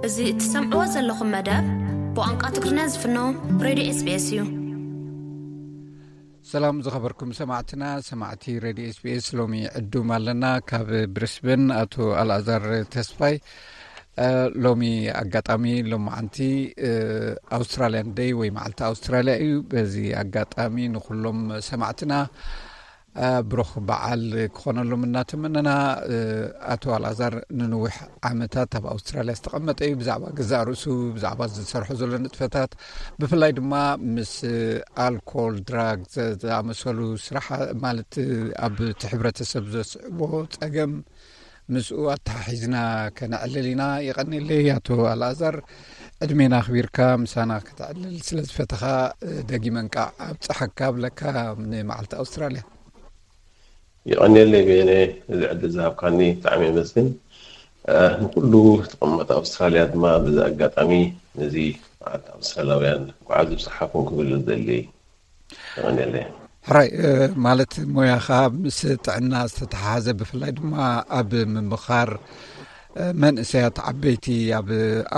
እዚ እትሰምዕዎ ዘለኹም መደብ ብቋንቋ ትግርኛ ዝፍኖ ሬድዮ ኤስቢኤስ እዩ። ሰላም ዝኸበርኩም ሰማዕትና፣ ሰማዕቲ ሬድዮ ኤስቢኤስ፣ ሎሚ ዕዱም ኣለና። ካብ ብሪስበን ኣቶ ኣልኣዛር ተስፋይ። እ፣ ሎሚ ኣጋጣሚ ሎማዓንቲ፣ እ፣ ኣውስትራልያን ደይ ወይ መዓልቲ ኣውስትራልያ እዩ። በዚ ኣጋጣሚ ንኹሎም ሰማዕትና፣ እ፣ ብሩኽ በዓል ክኾነሎም እናተመነና፣ እ፣ ኣቶ ኣልኣዛር ንንዊሕ ዓመታት ኣብ ኣውስትራልያ ዝተቐመጠ እዩ። ብዛዕባ ገዛእ ርእሱ፣ ብዛዕባ ዝሰርሖ ዘሎ ንጥፈታት፣ ብፍላይ ድማ ምስ ኣልኮል፣ ድራግ ዘ-፣ ዝኣመሰሉ ስራሕ፣ ማለት ኣብ እቲ ሕብረተሰብ ዘስዕቦ ጸገም ምስኡ ኣተሓሒዝና ከነዕልል ኢና። የቐንየለይ ኣቶ ኣልኣዛር፣ ዕድሜና ኣኽቢርካ ምሳና ከተዕልል ስለ ዝፈተኻ፣ እ፣ ደጊመ እንቃዕ ኣብጽሓካ እብለካ ንመዓልቲ ኣውስትራልያ። የቐንየለይ በየነ፣ እዚ ዕድል ዝሃብካኒ ብጣዕሚ የመስግን። እ፣ ንኩሉ ተቐማጢ ኣውስትራልያ ድማ በዚ ኣጋጣሚ ነዚ መዓልቲ ኣውስትራልያውያን እንኳዕ ኣብጽሓኩም ክብል ዝደሊ። የቐንየለይ። ሕራይ፣ እ፣ ማለት ሞያኻ ምስ ጥዕና ዝተተሓሓዘ፣ ብፍላይ ድማ ኣብ ምምኻር፣ እ፣ መንእሰያት ዓበይቲ ኣብ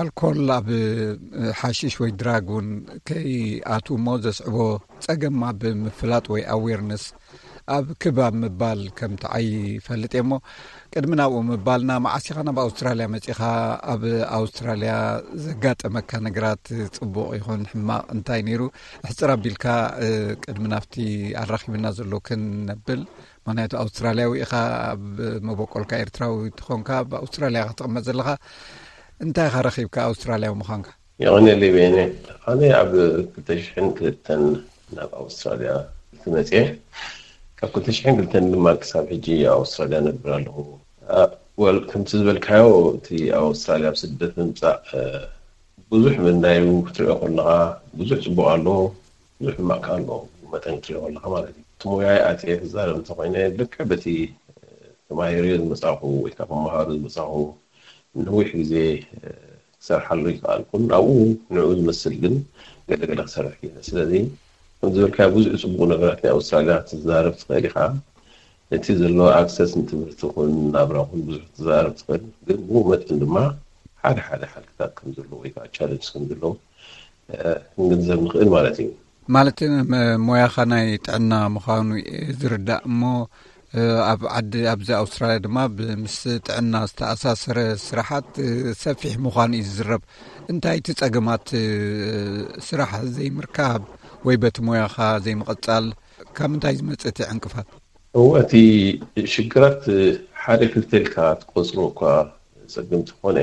ኣልኮል፣ ኣብ፣ እ፣ ሓሽሽ ወይ ድራግ እውን ከይኣትዉ እሞ ዘስዕቦ ጸገም ኣብ ምፍላጥ ወይ ኣዌርነስ ኣብ ክብ ኣብ ምባል ከም ትዓዪ ይፈልጥ እየ እሞ፣ ቅድሚ ናብኡ ምባልና፣ መዓስ ኢኻ ናብ ኣውስትራልያ መጺኻ? ኣብ ኣውስትራልያ ዘጋጠመካ ነገራት፣ ጽቡቕ ይኹን ሕማቕ፣ እንታይ ነይሩ? ኣሕጽር ኣቢልካ፣ እ፣ ቅድሚ ናብቲ ኣራኺብና ዘሎ ክንነብል፣ ምኽንያቱ ኣውስትራልያዊ ኢኻ፣ ኣብ መበቆልካ ኤርትራዊ ትኾንካ፣ ኣብ ኣውስትራልያ ኢኻ ትቕመጥ ዘለኻ። እንታይ ኢኻ ረኺብካ ኣውስትራልያዊ ምዃንካ? የቐንየለይ በየነ። ኣነ ኣብ ክልተ ሽሕን ክልተን ናብ ኣውስትራልያ መጽየ። ካብ ክልተ ሽሕን ክልተን ድማ ክሳብ ሕጂ ኣብ ኣውስትራልያ ነብር ኣለኹ። ኣ፣ ወል፣ ከምቲ ዝበልካዮ፣ እቲ ኣብ ኣውስትራልያ ኣብ ስደት ምምጻእ፣ እ፣ ብዙሕ ምንዳዩ ክትሪኦ ከለኻ፣ ብዙሕ ጽቡቕ ኣሎ፣ ብዙሕ ሕማቕ ከኣ ኣሎ፣ መጠን ክትሪኦ ከለኻ ማለት እዩ። እቲ ሞያይ ኣትየ ክዛረብ እንተኾይነ፣ ልክዕ በቲ፣ እ፣ ተማሂረዮ ዝመጻኹ ወይ ከዓ ክመሃሮ ዝመጻኹ ነዊሕ ግዜ፣ እ፣ ክሰርሓሉ ይከኣልኩን፣ ኣብኡ ንዕኡ ዝመስል ግን ገለ ገለ ክሰርሕ ክኢለ። ስለዚ ከም ዝበልካዮ ብዙሕ ጽቡቕ ነገራት ናይ ኣውስትራልያ ክትዛረብ ትኽእል ኢኻ። እቲ ዘሎ ኣክሰስ ንትምህርቲ ይኹን ናብራ ይኹን ብዙሕ ክትዛረብ ትኽእል፣ ግን ብኡ መጠን ድማ ሓደ ሓደ ሓልክታት ከም ዘለዎ ወይ ከዓ ቻለንጅ ከም ዘለዎ፣ እ፣ ክንግንዘብ ንኽእል ማለት እዩ። ማለት፣ መ-፣ ሞያኻ ናይ ጥዕና ምዃኑ እየ ዝርዳእ እሞ፣ እ፣ ኣብ ዓዲ፣ ኣብዚ ኣውስትራልያ ድማ ብ-፣ ምስ ጥዕና ዝተኣሳሰረ ስራሓት፣ እ፣ ሰፊሕ ምዃኑ እዩ ዝዝረብ። እንታይ እቲ ጸገማት፣ እ፣ ስራሕ ዘይምርካብ ወይ በቲ ሞያኻ ዘይምቕጻል፣ ካብ ምንታይ ዝመጽእ እቲ ዕንቅፋት? እወ፣ እቲ ሽግራት ሓደ ክልተ ኢልካ ትቆጽሮ እኳ ጸገም እንተኾነ፣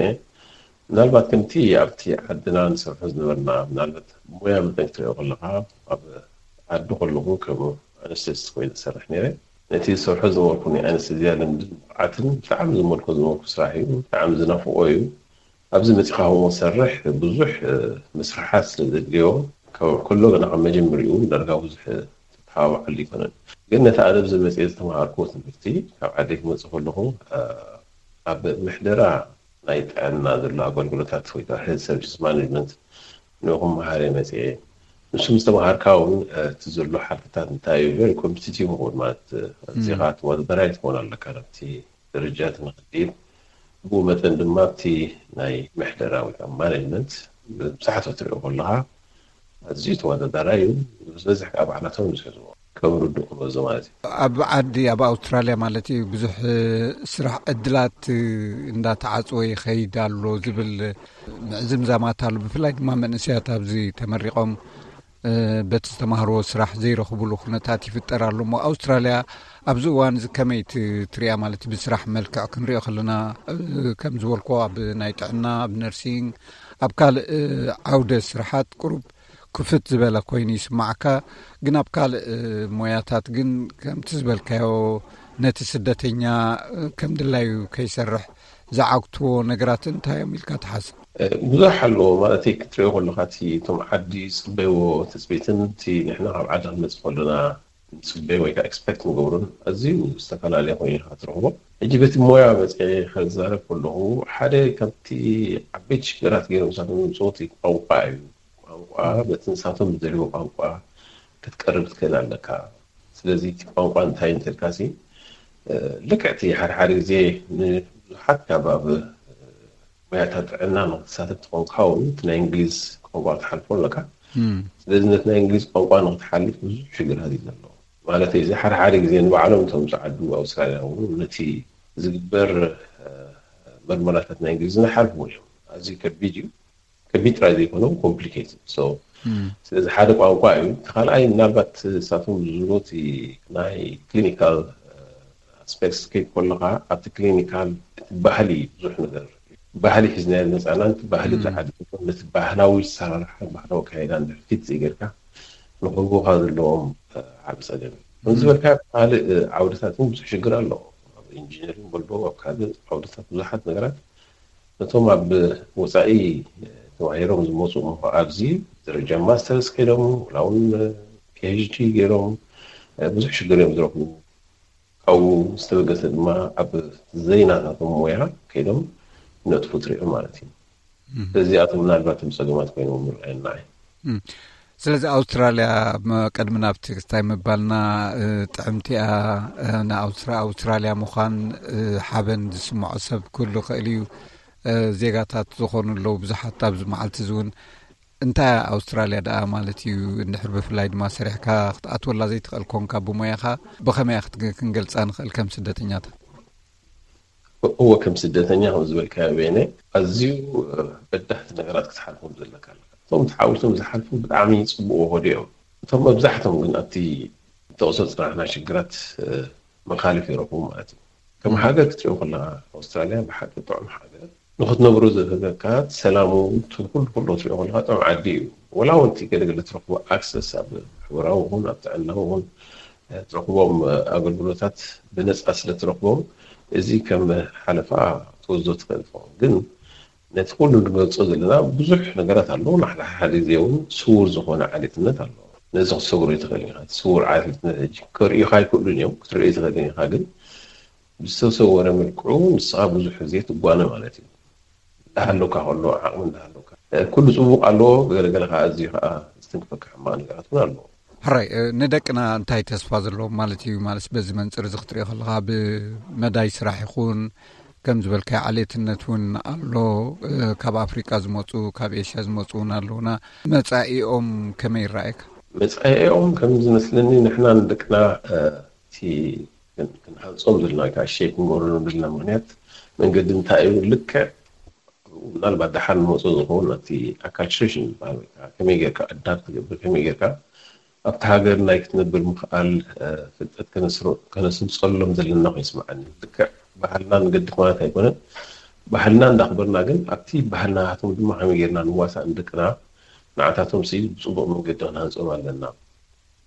ምናልባት ከምቲ ኣብቲ ዓድና ንሰርሖ ዝነበርና፣ ምናልባት ሞያ መጠን ክትሪኦ ከለኻ፣ ኣብ ዓዲ ከለኹ ከም ኣነስቴዚስት ኮይነ ዝሰርሕ ነይረ። ነቲ ዝሰርሖ ዝነበርኩ ናይ ኣነስቴዝያ ልምድን ብቕዓትን ብጣዕሚ ዝመልኮ ዝነበርኩ ስራሕ እዩ፣ ብጣዕሚ ዝናፍቆ እዩ። ኣብዚ መጺኻ ከምኡ ትሰርሕ ብዙሕ፣ እ፣ ምስርሓት ስለ ዘድልዮ፣ ካብ ከሎ ገና ካብ መጀመሪኡ ዳርጋ ብዙሕ ተተሓባብዓሉ ኣይኮነን። ግን ነቲ ኣነ ኣብዚ መጺኤ ዝተምሃርኩዎ ትምህርቲ፣ ካብ ዓደይ ክመጽእ ከለኹ፣ እ፣ ኣብ ምሕደራ ናይ ጥዕና ዘሎ ኣገልግሎታት ወይ ከዓ ሄልት ሰርቪስ ማኔጅመንት ንኡ ክመሃር እየ መጺኤ። ንሱ ምስ ተምሃርካ እውን፣ እ፣ እቲ ዘሎ ሓልፍታት እንታይ እዩ? ቨሪ ኮምፒቲቲቭ ይኸውን ማለት፣ እ፣ እም። እዚኻ ተወዳዳራይ ትኸውን ኣለካ ናብቲ ደረጃ እቲ ንኽትድይብ። ብኡ መጠን ድማ ኣብቲ ናይ ምሕደራ ወይ ከዓ ማኔጅመንት ብብዝሓት ክትሪኦ ከለኻ ኣዝዩ ተወዳዳራይ እዩ። ዝበዝሕ ከዓ ባዕላቶም ዝሕዝዎ ከም ርዱእ ክመዞ ማለት እዩ። ኣብ ዓዲ፣ ኣብ ኣውስትራልያ ማለት እዩ፣ ብዙሕ ስራሕ ዕድላት እንዳተዓጽወ ይኸይድ ኣሎ ዝብል ምዕዝምዛማት ኣሎ። ብፍላይ ድማ መንእሰያት ኣብዚ ተመሪቖም፣ እ፣ በቲ ዝተማህርዎ ስራሕ ዘይረኽብሉ ኩነታት ይፍጠር ኣሎ እሞ፣ ኣውስትራልያ ኣብዚ እዋን እዚ ከመይ ት-፣ ትሪኣ? ማለት ብስራሕ መልክዕ ክንሪኦ ከለና፣ እ፣ ከም ዝበልኩዎ ኣብ ናይ ጥዕና፣ ኣብ ነርሲንግ፣ ኣብ ካልእ፣ እ፣ ዓውደ ስራሓት ቁሩብ ክፍት ዝበለ ኮይኑ ይስማዓካ፣ ግን ኣብ ካልእ፣ እ፣ ሞያታት ግን ከምቲ ዝበልካዮ ነቲ ስደተኛ፣ እ፣ ከም ድላዩ ከይሰርሕ ዝዓግትዎ ነገራት እንታይ እዮም ኢልካ ትሓስብ? እ፣ ብዙሕ ኣለዎ። ማለት ክትሪኦ ከለኻ፣ እቲ እቶም ዓዲ ዝጽበይዎ ትጽቢትን እቲ ንሕና ካብ ዓዲ ክንመጽእ ከለና ንጽበዮ ወይ ከዓ ኤክስፔክት ንገብሮን ኣዝዩ ዝተፈላለየ ኮይኑ ኢኻ ትረኽቦ። ሕጂ በቲ ሞያ መጺኤ ክዛረብ ከለኹ፣ ሓደ ካብቲ ዓበይቲ ሽግራት ገይሮም ንሳቶም ዘምጽኡ እቲ ቋንቋ እዩ። ቋንቋ፣ በቲ ንሳቶም ዝደልይዎ ቋንቋ ክትቀርብ ትኽእል ኣለካ። ስለዚ እቲ ቋንቋ እንታይ እንተልካሲ፣ እ፣ ልክዕ እቲ ሓደ ሓደ ግዜ ንብዙሓት ካብ ኣብ ሞያታት ጥዕና ንክትሳተፍ ትኾንካ እውን እቲ ናይ እንግሊዝ ቋንቋ ክትሓልፎ ኣለካ። ስለዚ ነቲ ናይ እንግሊዝ ቋንቋ ንክትሓልፍ ብዙሕ ሽግራት እዩ ዘለዎ። ማለት እዚ ሓደ ሓደ ግዜ ንባዕሎም እቶም ዝዓዱ ኣውስትራልያ እውን ነቲ ዝግበር መርመራታት ናይ እንግሊዝ ንሓልፍዎ እዮም። ኣዝዩ ከቢድ እዩ። ከቢድ ጥራይ ዘይኮነ ኮምፕሊኬትድ። ስለዚ ሓደ ቋንቋ እዩ። እቲ ካልኣይ ምናልባት እሳቶም ዝብሉት ናይ ክሊኒካል ኣስፔክትስ ከይድ ከለካ ኣብቲ ክሊኒካል እቲ ባህሊ ብዙሕ ነገር ባህሊ ሒዝናዮ መፃና ነቲ ባህሊ ተዓዲሞ ነቲ ባህላዊ ሰራርሓ ባህላዊ ኣካይዳ ንድሕፊት ዘይገርካ ንክህቡካ ዘለዎም ዓብ ፀገም እዩ። ከምዝበልካ ካልእ ዓውድታት እውን ብዙሕ ሽግር ኣሎ። ኣብ ኢንጂነሪንግ በሎ ኣብ ካልእ ዓውድታት ብዙሓት ነገራት ነቶም ኣብ ወፃኢ ተባሂሮም ዝመፁ እሞ ኣብዚ ደረጃ ማስተርስ ከይዶም ወላ እውን ፒኤችዲ ገይሮም ብዙሕ ሽግር እዮም ዝረኽቡ። ካብኡ ዝተበገሰ ድማ ኣብ ዘይናታቶም ሞያ ከይዶም ነጥፉ ትሪኦ ማለት እዩ። እዚኣቶም ምናልባት ም ፀገማት ኮይኖም ምርኣየና እዩ። ስለዚ ኣውስትራልያ ቀድሚ ናብቲ ክስታይ ምባልና ጥዕምቲኣ ንኣውስትራልያ ምዃን ሓበን ዝስምዖ ሰብ ክህሉ ክእል እዩ። ዜጋታት ዝኾኑ ኣለዉ ብዙሓት ኣብዚ መዓልቲ እዚ እውን እንታይ ኣውስትራልያ ደኣ ማለት እዩ? እንድሕር ብፍላይ ድማ ሰሪሕካ ክትኣትወላ ዘይትኽእል ኮንካ ብሞያኻ ብኸመይ ክንገልፃ ንኽእል ከም ስደተኛታት? እወ ከም ስደተኛ ከም ዝበልካዮ ቤነ ኣዝዩ በዳህቲ ነገራት ክትሓልፎም ዘለካ ኣለካ። እቶም ተሓዊሶም ዝሓልፉ ብጣዕሚ ፅቡቅ ወዲ እዮም። እቶም መብዛሕቶም ግን ኣብቲ ተቕሶ ፅናሕና ሽግራት መኻልፍ ይረኽቡ ማለት እዩ። ከም ሃገር ክትሪኦ ከለካ ኣውስትራልያ ብሓቂ ጥዑም ሃገር ንክትነብሮ ዘህበካ ሰላሙ ኩሉ ኩሎ ትሪኦ ከለካ ጥዑም ዓዲ እዩ። ወላ እውን እቲ ገለገለ ትረኽቦ ኣክሰስ ኣብ ማሕበራዊ ይኹን ኣብ ጥዕና ይኹን ትረኽቦም ኣገልግሎታት ብነፃ ስለ ትረኽቦም እዚ ከም ሓለፋ ትወስዶ ትኽእል ትኸውን። ግን ነቲ ኩሉ ንገልፆ ዘለና ብዙሕ ነገራት ኣለዉ። ንሓደ ሓደ ግዜ እውን ስውር ዝኾነ ዓሌትነት ኣለዎ። ነዚ ክትሰግሮ ይትኽእል ኢኻ። እቲ ስውር ዓሌትነት ሕጂ ከርእዩኻ ኣይክእሉን እዮም። ክትርእዮ ይትኽእል ኢኻ ግን ብዝተሰወረ መልክዑ ንስኻ ብዙሕ ግዜ ትጓነ ማለት እዩ። እንዳሃለውካ ከሎ ዓቕሚ እንዳሃለውካ ኩሉ ፅቡቕ ኣለዎ። ገለገለ ከዓ ኣዝዩ ከዓ ዝትንክፈካ ሕማቕ ነገራት እውን ኣለዎ። ሕራይ ንደቅና እንታይ ተስፋ ዘለዎም ማለት እዩ? ማለት በዚ መንፅር እዚ ክትሪኦ ከለካ ብመዳይ ስራሕ ይኹን ከም ዝበልካዮ ዓሌትነት እውን ኣሎ። ካብ ኣፍሪቃ ዝመፁ ካብ ኤሽያ ዝመፁ እውን ኣለውና። መፃኢኦም ከመይ ይረኣየካ? መፃኢኦም ከም ዝመስለኒ ንሕና ንደቅና እቲ ክንሃንፆም ዘለና ወይ ከዓ ሼፕ ክንገብረሎም ዘለና ምክንያት መንገዲ እንታይ እዩ? ልክዕ ምናልባት ደሓር ንመፁ ዝኸውን እቲ ኣካልትሬሽን ዝበሃል ወይ ከዓ ከመይ ጌርካ ኣዳፕት ትገብር ከመይ ጌርካ ኣብቲ ሃገር ናይ ክትነብር ምኽኣል ፍልጠት ከነስምፀሎም ዘለና ኮይኑ ይስምዓኒ። ልክዕ ባህልና ንገድፍ ማለት ኣይኮነን። ባህልና እንዳኽበርና ግን ኣብቲ ባህልናቶም ድማ ከመይ ጌርና ንዋሳእ ንደቅና ንዓታቶም ሲ ብፅቡቕ መንገዲ ክንሃንፆም ኣለና።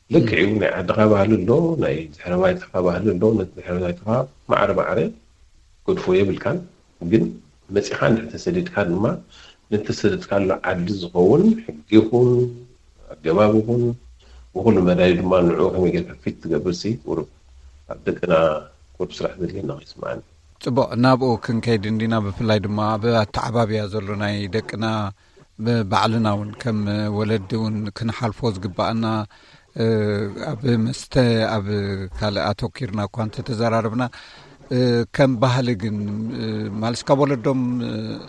ልክዕ እዩ ናይ ዓድኻ ባህሊ ኣሎ ናይ ድሕረ ባይታኻ ባህሊ ኣሎ ነቲ ድሕረ ባይታኻ ማዕረ ማዕረ ገድፎ የብልካን። ግን መፂኻ እንድሕር ተሰዲድካ ድማ ነተሰደድካሉ ዓዲ ዝኸውን ሕጊ ይኹን ኣገባብ ይኹን ብኩሉ መዳይ ድማ ንዕኡ ከመይ ጌርካ ፊት ትገብር ሲ ቁሩብ ኣብ ደቅና ቁሩብ ስራሕ ዘድልየና ይስምዓኒ። ፅቡቕ ናብኡ ክንከይድ እንዲና ብፍላይ ድማ ኣብ ኣተዓባብያ ዘሎ ናይ ደቅና ባዕልና እውን ከም ወለዲ እውን ክንሓልፎ ዝግባኣና ኣብ መስተ ኣብ ካልእ ኣተኪርና እኳ እንተተዘራረብና ከም ባህሊ ግን ማለት ካብ ወለዶም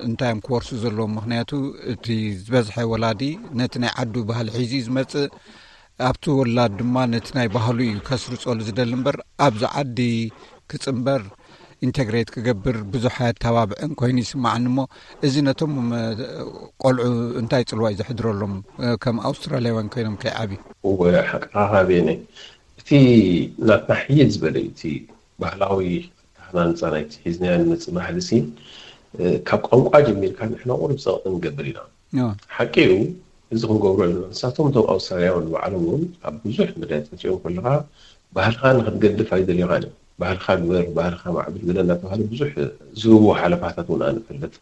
እንታይ እዮም ክወርሱ ዘለዎም? ምክንያቱ እቲ ዝበዝሐ ወላዲ ነቲ ናይ ዓዱ ባህሊ ሒዙ እዩ ዝመፅእ። ኣብቲ ወላድ ድማ ነቲ ናይ ባህሉ እዩ ከስርፀሉ ዝደሊ እምበር ኣብዚ ዓዲ ክፅንበር ኢንተግሬት ክገብር ብዙሕ ኣየተባብዕን ኮይኑ ይስማዓኒ። እሞ እዚ ነቶም ቆልዑ እንታይ ፅልዋ እዩ ዘሕድረሎም ከም ኣውስትራልያውያን ኮይኖም ከይዓብዩ? እወ ሓቅኻ ቤነ፣ እቲ ናትና ሕይል ዝበለ እዩ እቲ ባህላዊ ኣተሃናንፃ ናይቲ ሒዝናዮ ንመፅእ ባህሊ ሲ ካብ ቋንቋ ጀሚርካ ንሕና ቁሩብ ፀቕጢ ንገብር ኢና። ሓቂ እዩ። እዚ ክንገብሮ ኣለና። ንሳቶም እቶም ኣውስትራልያውያን ንባዕሎም እውን ኣብ ብዙሕ መዳይ ክትሪኦም ከለኻ ባህልኻ ንክትገድፍ ኣይደልዩኻን እዮም። ባህልኻ ግበር፣ ባህልኻ ማዕብል ገለ እናተባሃለ ብዙሕ ዝህብዎ ሓለፋታት እውን ኣነ እፈልጥ።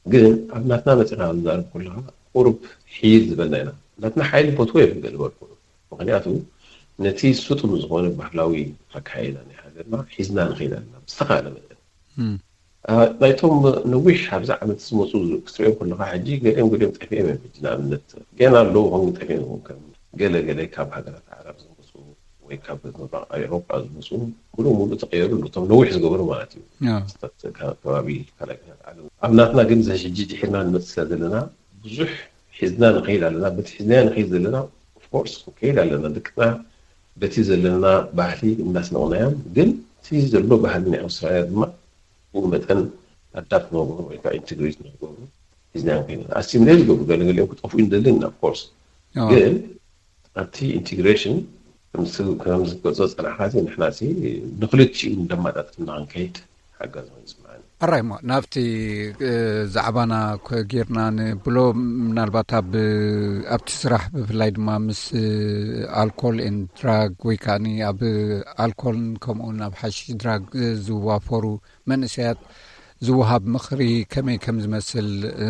ግን ኣብ ናትና መፂኻ ዝዛረብ ከለኻ ቁሩብ ሒል ዝበልና ኢና። ናትና ሓይሊ ፈትዎ እዮም ገለ በልኩ። ምክንያቱ ነቲ ስጡም ዝኾነ ባህላዊ ኣካይዳ ናይ ሃገርና ሒዝና ንኸይድ ኣለና ብዝተኻለ መጠን። ናይቶም ነዊሕ ኣብዚ ዓመት ዝመፁ ክትሪኦም ከለካ ሕጂ ገሊኦም ገሊኦም ጠፊኦም እዮም። ሕጂ ንኣብነት ገና ኣለዉ ከም ጠፊኦም ከም ገለ ገለ ካብ ሃገራት ዓረብ ዝመፁ ወይ ካብ ምብራቕ ኤውሮጳ ዝመፁ ሙሉእ ሙሉእ ተቐየሩ ኣለዉ። እቶም ነዊሕ ዝገበሩ ማለት እዩ። ያ። ካብ ከባቢ ካልኣይ ኩናት ዓለም። ኣብ ናትና ግን እዚ ሕጂ ድሒርና ንመፅእ ስለ ዘለና ብዙሕ ሒዝና ንኸይድ ኣለና። በቲ ሒዝናዮ ንኸይድ ዘለና ኦፍኮርስ ክንከይድ ኣለና። ደቅና በቲ ዘለና ባህሊ እናስነቕናዮም፣ ግን እቲ ዘሎ ባህሊ ናይ ኣውስትራልያ ድማ ብኡ መጠን ኣዳፕት ንገብሩ ወይ ከዓ ኢንቴግሬት ንገብሩ ሒዝናዮም ከይድ ኣለና። ኣሲሚሌት ዝገብሩ ገለገሊኦም ክጠፍኡ ንደሊ ኢና ኦፍኮርስ። ያ። ግን ኣብቲ ኢንቴግሬሽን ከምዚ ዝገልጾ ጸናሕካ ንሕና ንኽልቲኡ እንደማጣጥፍና ክንከይድ ሓጋዚ ኮይኑ ይስምዓኒ። ኣራይ እሞ ናብቲ እ፣ ዛዕባና ኮ- ጌርና ንብሎ፣ ምናልባት ኣብ ኣብቲ ስራሕ ብፍላይ ድማ ምስ ኣልኮል ን ድራግ ወይ ከዓ ኣብ ኣልኮልን ከምኡውን ኣብ ሓሽሽ ድራግ ዝዋፈሩ መንእሰያት ዝወሃብ ምኽሪ ከመይ ከም ዝመስል፣ እ፣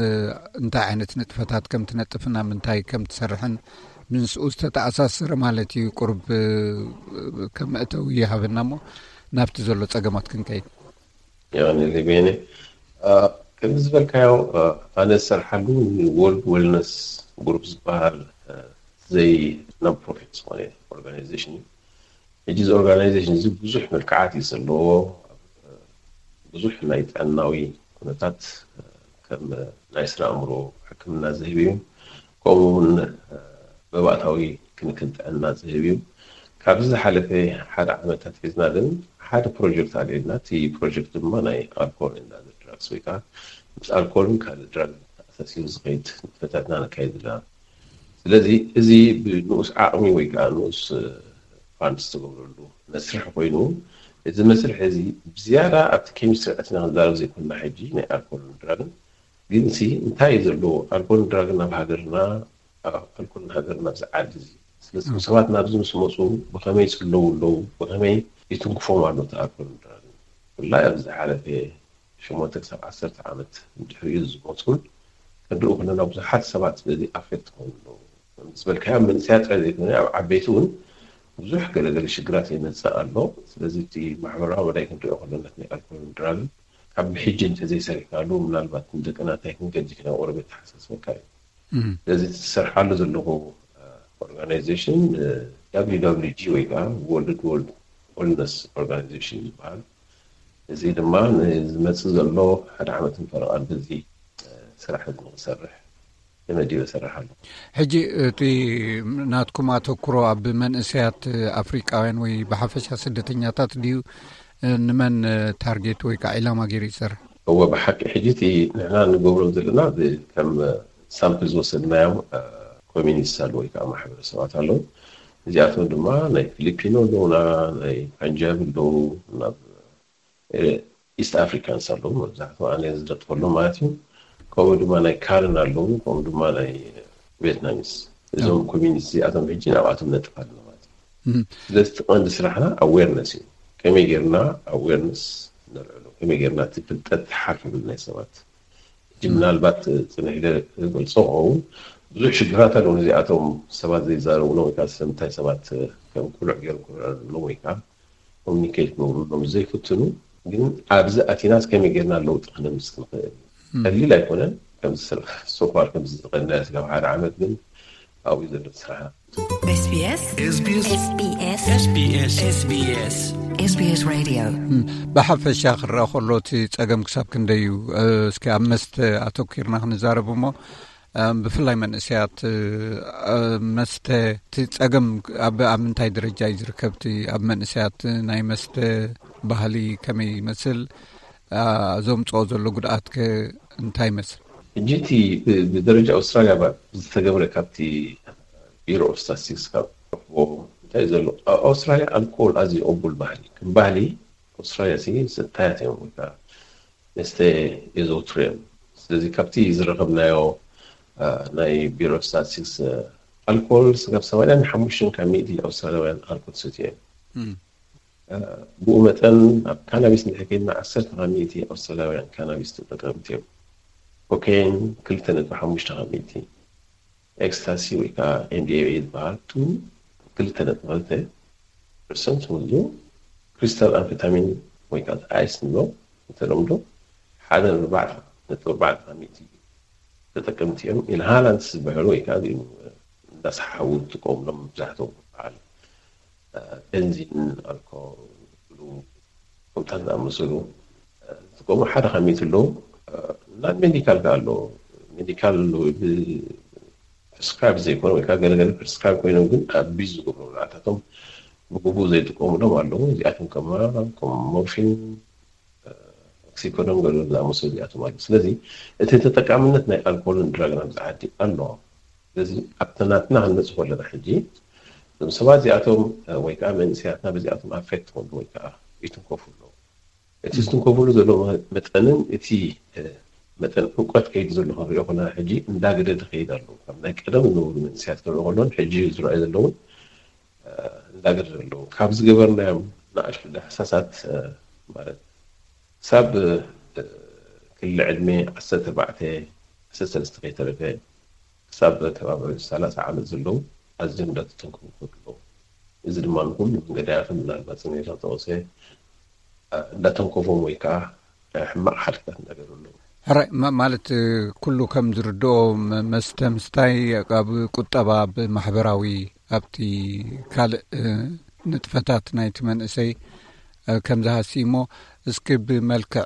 እንታይ ዓይነት ንጥፈታት ከም ትነጥፍን ኣብ ምንታይ ከም ትሰርሕን ምስኡ ዝተተኣሳሰረ ማለት እዩ። ቁርብ ከም መእተዊ ይሃበና እሞ ናብቲ ዘሎ ጸገማት ክንከይድ። የቐንየለይ ቤኒ። ከምዚ ዝበልካዮ፣ ኣነ ዝሰርሓሉ ወርልድ ዌልነስ ግሩፕ ዝበሃል ዘይ ናን ፕሮፊት ዝኾነ ኦርጋናይዜሽን እዩ። ሕጂ እዚ ኦርጋናይዜሽን እዚ ብዙሕ መልክዓት እዩ ዘለዎ። ብዙሕ ናይ ጥዕናዊ ኩነታት ከም ናይ ስነ ኣእምሮ ሕክምና ዝህብ እዩ። ከምኡ እውን መባእታዊ ክንክን ጥዕና ዝህብ እዩ። ካብዚ ዝሓለፈ ሓደ ዓመታት ሒዝና ግን ሓደ ፕሮጀክት ኣልዒልና። እቲ ፕሮጀክት ድማ ናይ ኣልኮል ኤንድ ኣዘር ድራግስ ወይ ከዓ ምስ ኣልኮልን ካልእ ድራግ ተኣሳሲሩ ዝኸይድ ንጥፈታትና ነካይድ ኣለና። ስለዚ እዚ ብንኡስ ዓቕሚ ወይ ከዓ ንኡስ ፋንድ ዝተገብረሉ መስርሕ ኮይኑ፣ እዚ መስርሕ እዚ ብዝያዳ ኣብቲ ኬሚስትሪ ኣቲና ክንዛረብ ዘይኮንና ሕጂ ናይ ኣልኮልን ድራግን ግን ሲ እንታይ እዩ ዘለዎ ኣልኮልን ድራግን ኣብ ሃገርና፣ ኣልኮልን ሃገርና ኣብዚ ዓዲ እዚ ስለዚ ሰባት ናብዚ ምስ መፁ ብኸመይ ይፅለዉ ኣለዉ፣ ብኸመይ ይትንክፎም ኣሎ እቲ ኣልኮልን ድራግን። ብፍላይ ኣብዚ ዝሓለፈ ሸሞንተ ክሳብ ዓሰርተ ዓመት ድሕሪኡ ዝመፁን ክንሪኡ ከለና ብዙሓት ሰባት በዚ ኣፌክት ክኾኑ ኣለዉ። ከም ዝበልካዮ ኣብ መንእሰያት ጥራይ ዘይኮነ ኣብ ዓበይቲ እውን ብዙሕ ገለገለ ሽግራት የመፅእ ኣሎ። ስለዚ እቲ ማሕበራዊ መዳይ ክንሪኦ ከለና ናይ ኣልኮልን ድራግን ካብ ብሕጂ እንተዘይሰሪሕናሉ ምናልባት ንደቅና እንታይ ክንገድፍ ኢና ቁሩብ የተሓሳስበካ እዩ። ስለዚ እቲ ዝሰርሓሉ ዘለኹ ኦርጋናይዜሽን WWG ወይ ከዓ ወርልድ ወርልድ ዌልነስ ኦርጋናይዜሽን ዝበሃል። እዚ ድማ ንዝመፅእ ዘሎ ሓደ ዓመትን ፈረቓን በዚ ስራሕ እዚ ንክሰርሕ ተመዲበ እሰርሕ ኣለኹ። ሕጂ እቲ ናትኩም ኣተኩሮ ኣብ መንእሰያት ኣፍሪቃውያን ወይ ብሓፈሻ ስደተኛታት ድዩ? ንመን ታርጌት ወይ ከዓ ዒላማ ገይሩ ይሰርሕ? እወ፣ ብሓቂ ሕጂ እቲ ንሕና ንገብሮም ዘለና ብ- ከም ሳምፕል ዝወሰድናዮም ኮሚኒቲስ ኣለዉ ወይ ከዓ ማሕበረሰባት ኣለዉ። እዚኣቶም ድማ ናይ ፊሊፒኖ ኣለዉና፣ ናይ ፓንጃብ ኣለዉ፣ ናብ ኢስት ኣፍሪካንስ ኣለዉ መብዛሕትኡ ኣነ ዝነጥፈሎም ማለት እዩ። ከምኡ ድማ ናይ ካርን ኣለዉ፣ ከምኡ ድማ ናይ ቪየትናሚስ። እዞም ኮሚኒቲ እዚኣቶም ሕጂ ናብኣቶም ነጥፍ ኣለና ማለት እዩ። ስለዚ እቲ ቀንዲ ስራሕና ኣዌርነስ እዩ። ከመይ ጌርና ኣዌርነስ ነልዕሎ፣ ከመይ ጌርና እቲ ፍልጠት ሓፍ ይብል ናይ ሰባት። ሕጂ ምናልባት ፅንሕ ኢለ ክገልፆ ክኸውን ብዙሕ ሽግራት ኣለዉ ነዚኣቶም ሰባት ዘይዛረብሎም ወይ ከዓ ስለምንታይ ሰባት ከም ኩሉዕ ገይሮም ክረዳድእሎም ወይ ከዓ ኮሚኒኬት ክገብሩሎም ዘይፍትኑ። ግን ኣብዚ ኣቲናስ ከመይ ጌርና ለውጢ ክነምፅእ ንኽእል? ቀሊል ኣይኮነን። ከምዚ ሶፋር ከምዚ ዝቐናዮ ስጋብ ሓደ ዓመት ግን ኣብኡ ዘሎ ስራሕ SBS SBS SBS SBS SBS Radio ብሓፈሻ ክረአ ከሎ እቲ ጸገም ክሳብ ክንደይ እዩ? እስኪ ኣብ መስተ ኣተኪርና ክንዛረብ እሞ ብፍላይ መንእሰያት መስተ እቲ ጸገም ኣብ ኣብ ምንታይ ደረጃ እዩ ዝርከብ? እቲ ኣብ መንእሰያት ናይ መስተ ባህሊ ከመይ ይመስል? ዘምጽኦ ዘሎ ጉድኣት ከ እንታይ ይመስል? ሕጂ እቲ ብደረጃ ኣውስትራልያ ዝተገብረ ካብቲ ቢሮ ኦፍ ስታቲስቲክስ ካብ ረኽቦ እንታይ እዩ ዘሎ? ኣብ ኣውስትራልያ ኣልኮል ኣዝዩ ቅቡል ባህሊ ከም ባህሊ ኣውስትራልያ ሲ ስታያት እዮም ወይ ከዓ መስተ የዘውትሩ እዮም። ስለዚ ካብቲ ዝረኸብናዮ ናይ ቢሮ ስታቲስቲክስ ኣልኮል ስጋብ ሰማንያን ሓሙሽተን ካብ ሚእቲ ኣውስትራልያውያን ኣልኮል ሰትዩ እዮም። ብኡ መጠን ኣብ ካናቢስ እንድሕር ከይድና ዓሰርተ ካብ ሚእቲ ኣውስትራልያውያን ካናቢስ ተጠቀምቲ እዮም። ኮኬን ክልተ ነጥቢ ሓሙሽተ ካብ ሚእቲ፣ ኤክስታሲ ወይ ከዓ ኤምዲኤምኤ ዝበሃል ቱ ክልተ ነጥቢ ክልተ ፐርሰንት፣ ክሪስታል ኣምፌታሚን ወይ ከዓ ኣይስ ንብሎ ብተለምዶ ሓደ ነጥቢ ኣርባዕተ ካብ ሚእቲ ተጠቀምቲ እዮም። ኢንሃላንትስ ዝበሃሉ ወይ ከዓ እንዳሰሓሓቡ ዝጥቀሙሎም መብዛሕትኦም በዓል ቤንዚን፣ ኣልኮል፣ ከምታት ዝኣመሰሉ ዝጥቀሙ ሓደ ካብ ሚእቲ ኣለዉ። ናን ሜዲካል ከ ኣሎ። ሜዲካል ፕሪስክራይብ ዘይኮነ ወይ ከዓ ገለገለ ፕሪስክራይብ ኮይኖም ግን ኣቢዝ ዝገብሩ ንዓታቶም ብግቡእ ዘይጥቀሙሎም ኣለዉ። እዚኣቶም ከማ ከም ሞርፊን፣ ኦክሲኮዶን ገለ ዝኣመሰሉ እዚኣቶም ኣለዉ። ስለዚ እቲ ተጠቃምነት ናይ ኣልኮልን ድራግን ኣብዚ ዓዲ ኣሎ። ስለዚ ኣብቲ ናትና ክንመጽእ ከለና ሕጂ እዞም ሰባት እዚኣቶም ወይ ከዓ መንእሰያትና በዚኣቶም ኣፌክት ክኾኑ ወይ ከዓ ይትንከፉ ኣለዉ። እቲ ዝትንከፍሉ ዘሎ መጠንን እቲ መጠን ዕውቀት ከይዲ ዘሎ ክንሪኦ ከለና ሕጂ እንዳገደደ ከይድ ኣለዉ። ካብ ናይ ቀደም ዝነበሩ መንእሰያት ክንሪኦ ከለውን ሕጂ ዝረኣዩ ዘለውን እንዳገደደ ኣለዉ። ካብ ዝገበርናዮም ንኣሽቱ ዳህሳሳት ማለት ክሳብ ክሊ ዕድሜ ዓሰርተ ኣርባዕተ ዓሰርተ ሰለስተ ከይተረፈ ክሳብ ከባቢ ሰላሳ ዓመት ዘለዉ ኣዝዮም እንዳተተንከፉ ከለዉ፣ እዚ ድማ ንኩሉ ገዳያትን ምናልባት ስሜታ ተወሰ እንዳተንከፎም ወይ ከዓ ሕማቕ ሓድግታት እንዳገበረሎም። ሕራይ ማ- ማለት ኩሉ ከም ዝርድኦ መ- መስተ ምስታይ ኣብ ቁጠባ፣ ኣብ ማሕበራዊ፣ ኣብቲ ካልእ ንጥፈታት ናይቲ መንእሰይ ከም ዝሃሲ እሞ እስኪ ብመልክዕ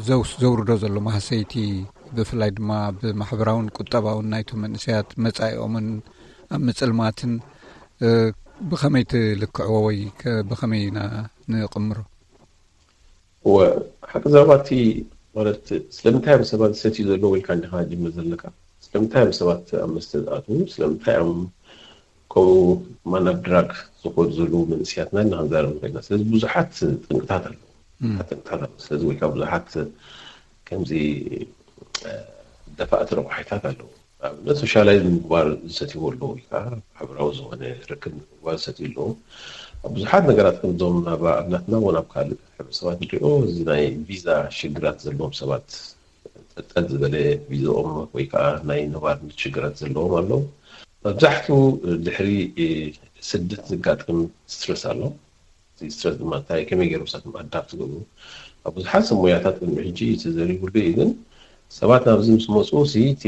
ዘውስ ዘውርዶ ዘሎ ማህሰይቲ ብፍላይ ድማ ብማሕበራውን ቁጠባውን ናይቶም መንእሰያት መጻኢኦምን ኣብ ምጽልማትን ብኸመይ ትልክዕዎ ወይ ብኸመይ ኢና ንቕምሮ? እወ፣ ሓቂ ዘረባ እቲ ማለት ስለምንታይ እዮም ሰባት ዝሰትዩ ዘለዉ ኢልካ እንዲኻ ጅምር ዘለካ። ስለምንታይ እዮም ሰባት ኣብ መስተ ዝኣትዉ? ስለምንታይ እዮም ከምኡ ማን ኣብ ድራግ ዝኸዱ ዘለዉ መንእሰያትና ኢልና ክንዛረብ ንኽእል ኢና። ስለዚ ብዙሓት ጥንቅታት ኣለዉ። ብዙሓት ጥንቅታት ኣለዉ። ስለዚ ወይ ከዓ ብዙሓት ከምዚ ደፋእቲ ረቑሒታት ኣለዉ። ኣብነት ሶሻላይዝ ንምግባር ዝሰትይዎ ኣለዉ ወይ ከዓ ማሕበራዊ ዝኾነ ርክብ ንምግባር ዝሰትዩ ኣለዉ። ኣብ ብዙሓት ነገራት ከምዞም ናብ ኣብናትና እውን ኣብ ካልእ ሕብረተሰባት ንሪኦ እዚ ናይ ቪዛ ሽግራት ዘለዎም ሰባት ጠጠል ዝበለ ቪዛኦም ወይ ከዓ ናይ ነባርነት ሽግራት ዘለዎም ኣለዉ። መብዛሕትኡ ድሕሪ ስደት ዘጋጥም ስትረስ ኣሎ። እዚ ስትረስ ድማ እንታይ ከመይ ገይሮም ንሳቶም ኣዳፕት ዝገብሩ ኣብ ብዙሓት ሰብ ሞያታት ቅድሚ ሕጂ ተዘሪቡሉ እዩ። ግን ሰባት ናብዚ ምስ መፁ ሲ እቲ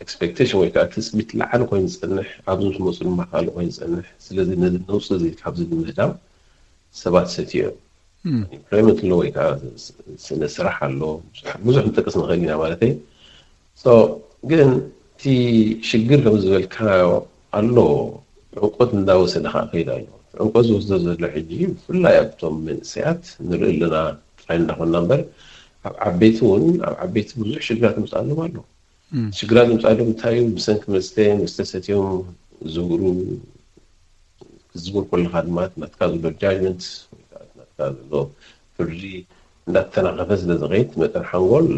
ኤክስፔክቴሽን ወይ ከዓ ትፅቢት ላዕሊ ኮይኑ ዝፀንሕ ኣብዚ ምስ መፁ ድማ ካልእ ኮይኑ ዝፀንሕ። ስለዚ ነዚ ነውፂ እዚ ካብዚ ንምህዳም ሰባት ሰትዮም ኢምፕሎይመንት ኣሎ ወይ ከዓ ስነ ስራሕ ኣሎ ብዙሕ ንጠቅስ ንኽእል ኢና ማለተይ። ግን እቲ ሽግር ከም ዝበልካዮ ኣሎ ዕንቆት እንዳወሰደ ከዓ ከይድ ኣሎ። ዕንቆት ዝወስዶ ዘሎ ሕጂ ብፍላይ ኣብቶም መንእሰያት ንርኢ ኣለና ጥራይ እንዳኾንና እምበር ኣብ ዓበይቲ እውን ኣብ ዓበይቲ ብዙሕ ሽግራት ምፅኣሎም ኣሎ። ሽግራት ምፅኣሎም እንታይ እዩ? ብሰንኪ መስተ መስተ ሰትዮም ዝውሩ ክትዝውር ከለኻ ድማ ናትካ ዘሎ ጃጅመንት ናትካ ዘሎ ፍርዲ እንዳተናኸፈ ስለ ዝኸይድ መጠን ሓንጎል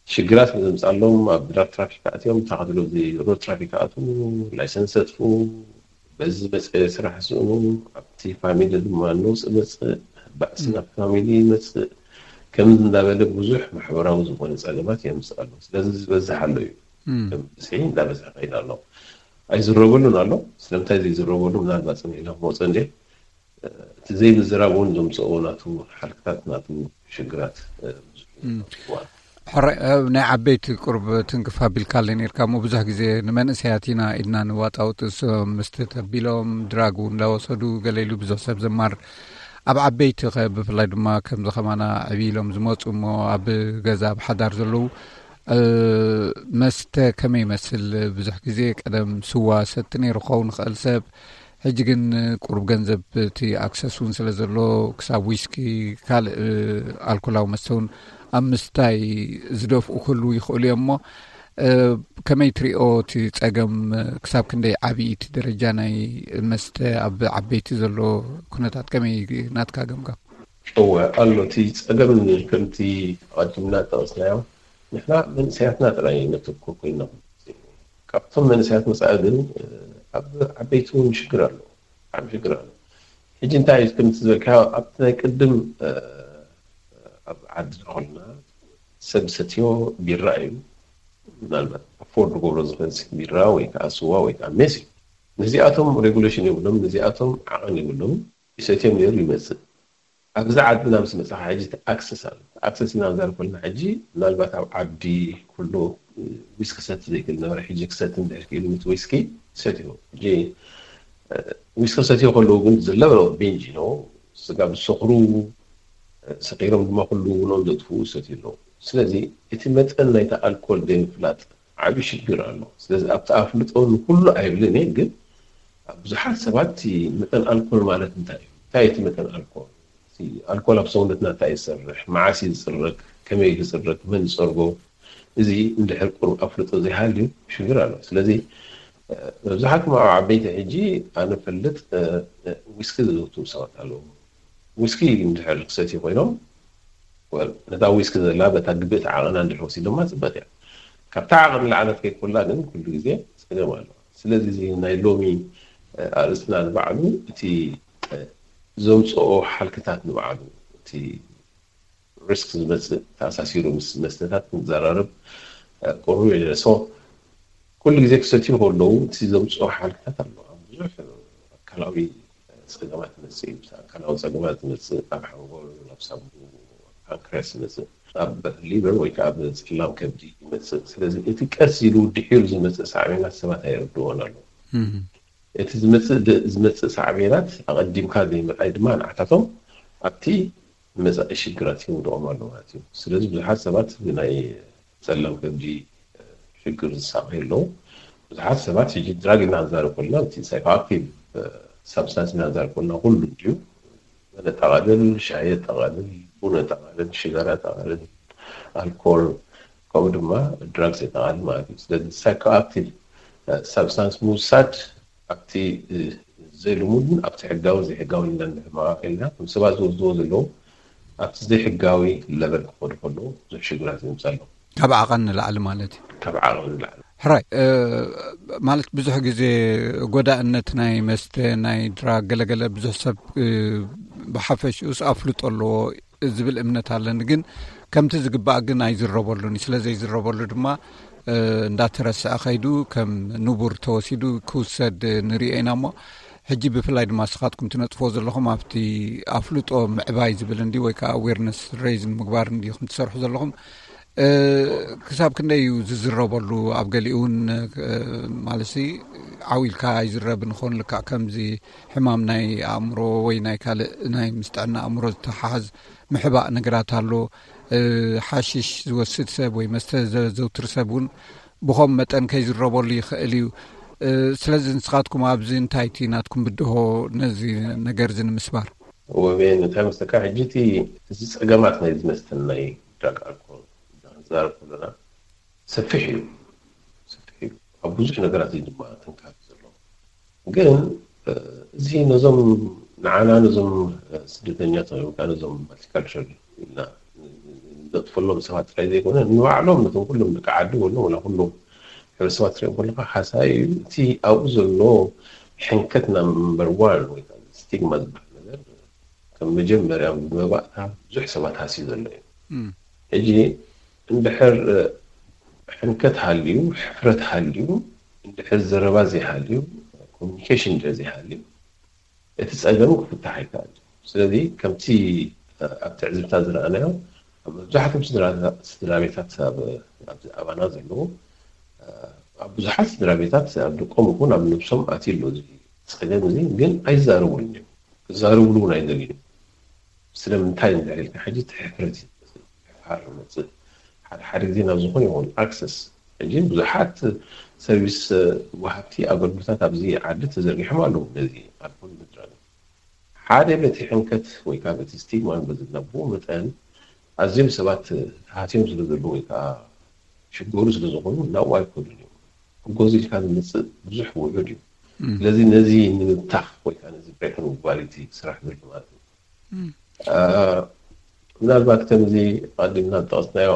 ሽግራት ስለ ዘምፅኣሎም ኣብ ድራግ ትራፊክ ኣትዮም ተኸትሎ እዚ ሮድ ትራፊክ ኣትዉ ላይሰንስ ሰጥፉ በዚ ዝመፀ ስራሕ ስእኑ ኣብቲ ፋሚሊ ድማ ነውፅ መፅእ ባእሲ ናብ ፋሚሊ ይመፅእ ከምዚ እንዳበለ ብዙሕ ማሕበራዊ ዝኾነ ፀገማት የምፅእ ኣሎ። ስለዚ ዝበዝሕ ኣሎ እዩ። ብዝሒ እንዳበዝሐ ከይድ ኣሎ። ኣይዝረበሉን ኣሎ። ስለምንታይ ዘይዝረበሉ ምናልባት ፅኒሕና ክመፁ እንደ እቲ ዘይምዝራብ እውን ዘምፅኦ ናቱ ሓልክታት ናቱ ሽግራት ብዙሕ እዩ። ሕራይ ናይ ዓበይቲ ቁርብ ትንክፍ ኣቢልካ ኣለ ነርካ እሞ ብዙሕ ግዜ ንመንእሰያት ኢና ኢድና ንዋጣውጥ እሶም ምስቲ ተቢሎም ድራግ እውን እንዳወሰዱ ገለ ኢሉ ብዙሕ ሰብ ዘማር ኣብ ዓበይቲ ኸ ብፍላይ ድማ ከምዚ ኸማና ዕብይ ኢሎም ዝመፁ እሞ ኣብ ገዛ ኣብ ሓዳር ዘለዉ መስተ ከመይ ይመስል? ብዙሕ ግዜ ቀደም ስዋ ሰቲ ነይሩ ክኸውን ይኽእል ሰብ፣ ሕጂ ግን ቁሩብ ገንዘብ እቲ ኣክሰስ እውን ስለ ዘሎ ክሳብ ዊስኪ ካልእ ኣልኮላዊ መስተ እውን ኣብ ምስታይ ዝደፍኡ ክህልዉ ይኽእሉ እዮም እሞ ከመይ ትሪኦ እቲ ፀገም ክሳብ ክንደይ ዓብዪ እቲ ደረጃ ናይ መስተ ኣብ ዓበይቲ ዘሎ ኩነታት ከመይ ናትካ ገምጋም? እወ ኣሎ እቲ ፀገም ከምቲ ኣቐዲምና ጠቐስናዮ ንሕና መንእሰያትና ጥራይ ነተኩር ኮይና ካብቶም መንእሰያት መፃኢ ግን ኣብ ዓበይቲ እውን ሽግር ኣሎ። ዓብ ሽግር ኣሎ። ሕጂ እንታይ እዩ ከምቲ ዝበልካ ኣብቲ ናይ ቅድም ኣብ ዓድና ኮልና ሰብ ሰትዮ ቢራ እዩ ምናልባት ኣፎርድ ክገብሮ ዝኽእል ቢራ ወይ ከዓ ስዋ ወይ ከዓ ሜስ እዩ። ነዚኣቶም ሬጉሌሽን የብሎም፣ ነዚኣቶም ዓቐን የብሎም። ይሰትዮም ነይሩ ይመፅእ ኣብዚ ዓድና ምስ መፅኻ ሕጂ ኣክሰስ ኣሎ። ኣክሰስ ኢና ንዛረብ ከለና ሕጂ ምናልባት ኣብ ዓዲ ኩሉ ዊስኪ ክሰቲ ዘይክእል ነበረ። ሕጂ ክሰቲ እንድሕር ክኢሉ ምስ ዊስኪ ሰትዮ። ሕጂ ዊስኪ ሰትዮ ከለዉ ግን ዝለበ ቢንጅ ነው። ስጋ ዝሰኽሩ፣ ሰኺሮም ድማ ኩሉ ውኖም ዘጥፍኡ ይሰትዩ ኣለዉ። ስለዚ እቲ መጠን ናይቲ ኣልኮል ዘይምፍላጥ ዓብዪ ሽግር ኣሎ። ስለዚ ኣብቲ ኣፍልጦ ንኩሉ ኣይብልን እየ፣ ግን ኣብ ብዙሓት ሰባት እቲ መጠን ኣልኮል ማለት እንታይ እዩ? እንታይ እቲ መጠን ኣልኮል? እቲ ኣልኮል ኣብ ሰውነትና እንታይ ይሰርሕ? መዓስ እዩ ዝፅረግ? ከመይ እዩ ዝፅረግ? መን ይፀርጎ? እዚ እንድሕር ቁሩብ ኣፍልጦ ዘይሃልዩ ሽግር ኣሎ። ስለዚ መብዛሕትኩም ኣብ ዓበይቲ ሕጂ ኣነ ፈልጥ ዊስኪ ዘዘውትሩ ሰባት ኣለዉ። ዊስኪ እንድሕር ክሰትዩ ኮይኖም ነታ ዊስኪ ዘላ በታ ግብእቲ ዓቐና እንድሕር ወሲዶማ ፅበቅ እያ። ካብታ ዓቐን ላዕለት ከይኮላ ግን ኩሉ ግዜ ፀገም ኣሎ። ስለዚ እዚ ናይ ሎሚ ኣርእስትና ንባዕሉ እቲ ዘምፅኦ ሓልክታት ንባዕሉ እቲ ሪስክ ዝመፅእ ተኣሳሲሩ ምስ መስተታት ክንዘራረብ ቁሩብ ኢለ። ኩሉ ግዜ ክሰትዩ ከለዉ እቲ ዘምፅኦ ሓልክታት ኣሎ። ኣብ ብዙሕ ኣካላዊ ፀገማት ይመፅእ እዩ። ኣካላዊ ፀገማት ይመፅእ፣ ኣብ ሓንጎል፣ ኣብ ሳቡ፣ ኣብ ፓንክርያስ ይመፅእ፣ ኣብ ሊቨር ወይ ከዓ ኣብ ፀላም ከብዲ ይመፅእ። ስለዚ እቲ ቀስ ኢሉ ድሒሩ ዝመፅእ ሳዕቤናት ሰባት ኣይርድዎን ኣለዉ። እቲ ዝመፅእ ሳዕቤናት ኣቐዲምካ ዘይምርኣይ ድማ ንዓታቶም ኣብቲ መፃኢ ሽግራት ይውድቖም ኣሎ ማለት እዩ። ስለዚ ብዙሓት ሰባት ብናይ ፀላም ከብዲ ሽግር ዝሳቐዩ ኣለዉ። ብዙሓት ሰባት ሕጂ ድራግ ኢልና ክንዛረብ ከለና እቲ ሳይኮኣክቲቭ ሳብስታንስ ኢና ክንዛረብ ከለና ኩሉ ድዩ? መን የጠቓልል? ሻሂ የጠቓልል፣ ቡን የጠቓልል፣ ሽጋራ የጠቓልል፣ ኣልኮል፣ ከምኡ ድማ ድራግስ የጠቓልል ማለት እዩ። ስለዚ ሳይኮኣክቲቭ ሳብስታንስ ምውሳድ ኣብቲ ዘይልሙድን ኣብቲ ሕጋዊ ዘይሕጋዊ ኢልና ንሕመቓቕ ኢልና ከም ሰባት ዝወስድዎ ዘለዉ ኣብቲ ዘይሕጋዊ ለበል ክኸዱ ከለዉ ብዙሕ ሽግራት ይምፅእ ኣሎ። ካብ ዓቐን ንላዕሊ ማለት እዩ። ካብ ዓቐን ንላዕሊ። ሕራይ ማለት ብዙሕ ግዜ ጎዳእነት ናይ መስተ ናይ ድራግ ገለገለ ብዙሕ ሰብ ብሓፈሽኡስ ኣፍልጦ ኣለዎ ዝብል እምነት ኣለኒ። ግን ከምቲ ዝግባእ ግን ኣይዝረበሉን እዩ። ስለ ዘይዝረበሉ ድማ እንዳተረስዐ ከይዱ ከም ንቡር ተወሲዱ ክውሰድ ንሪኦ ኢና። እሞ ሕጂ ብፍላይ ድማ ንስኻትኩም ትነጥፍዎ ዘለኹም ኣብቲ ኣፍልጦ ምዕባይ ዝብል እንዲ ወይ ከዓ ኣዌርነስ ሬይዝ ንምግባር እንዲኹም ትሰርሑ ዘለኹም። ክሳብ ክንደይ እዩ ዝዝረበሉ? ኣብ ገሊኡ እውን ማለት ዓው ኢልካ ኣይዝረብን ይኸውን። ልክዕ ከምዚ ሕማም ናይ ኣእምሮ ወይ ናይ ካልእ ናይ ምስ ጥዕና ኣእምሮ ዝተሓሓዝ ምሕባእ ነገራት ኣሎ። ሓሽሽ ዝወስድ ሰብ ወይ መስተ ዘዘውትር ሰብ እውን ብኸም መጠን ከይዝረበሉ ይኽእል እዩ። ስለዚ ንስኻትኩም ኣብዚ እንታይ እቲ ናትኩም ብድሆ ነዚ ነገር እዚ ንምስባር? ወቤን እንታይ መስለካ ሕጂ እቲ እዚ ፀገማት ናይ ዝመስተን ናይ ድራግ ኣልኮል ክንዛረብ ከለና ሰፊሕ እዩ። ሰፊሕ እዩ። ኣብ ብዙሕ ነገራት እዩ ድማ ተንካፊ ዘሎ። ግን እዚ ነዞም ንዓና ነዞም ስደተኛታት ወይ ከዓ ነዞም ማልቲካልቸር ኢልና ንነጥፈሎም ሰባት ጥራይ ዘይኮነ ንባዕሎም ነቶም ኩሎም ደቂ ዓዲ ወሎ ወላ ኩሎም ሕብረተሰባት ትሪኦም ከለካ ሓሳይ እዩ። እቲ ኣብኡ ዘሎ ሕንከት ናምበር ዋን ወይ ከዓ ስቲግማ ዝበሃል ነገር ከም መጀመርያ መባእታ ብዙሕ ሰባት ሃስዩ ዘሎ እዩ። ሕጂ እንድሕር ሕንከት ሃልዩ፣ ሕፍረት ሃልዩ፣ እንድሕር ዘረባ ዘይሃልዩ፣ ኮሚኒኬሽን እንድሕር ዘይሃልዩ እቲ ፀገም ክፍታሕ ኣይከኣል። ስለዚ ከምቲ ኣብ ትዕዝብታ ዝረኣናዮ ኣብ መብዛሕትኦም ስድራ ቤታት ኣብዚ ኣባና ዘለዉ ኣብ ብዙሓት ስድራ ቤታት ኣብ ደቆም ይኹን ኣብ ነብሶም ኣትዩ ኣሎ እዚ ፀገም እዚ፣ ግን ኣይዛረቡሉን እዮም። ክዛረቡሉ እውን ኣይደልዩን። ስለምንታይ እንድሕር ኢልካ ሕጂ እቲ ሕፍረት እዩ ዝመፅእ። ምሕፋር ይመፅእ። ሓደ ሓደ ግዜ ናብ ዝኾነ ይኹን ኣክሰስ ሕጂ ብዙሓት ሰርቪስ ወሃብቲ ኣገልግሎታት ኣብዚ ዓዲ ተዘርጊሖም ኣለዉ ነዚ ኣልኮል ምድራግ ሓደ በቲ ሕንከት ወይ ከዓ በቲ ስቲግማ በዚ ነብኡ መጠን ኣዝዮም ሰባት ተሃስዮም ስለ ዘለዉ ወይ ከዓ ሽገሩ ስለ ዝኾኑ ናብኡ ኣይከዱን እዮም። ጎዚ ኢልካ ዝመፅእ ብዙሕ ውሑድ እዩ። ስለዚ ነዚ ንምብታኽ ወይ ከዓ ነዚ ብሬክ ንምባል እቲ ስራሕ ዘሎ ማለት እዩ። ምናልባት ከምዚ ኣቐዲምና ዝጠቐስናዮ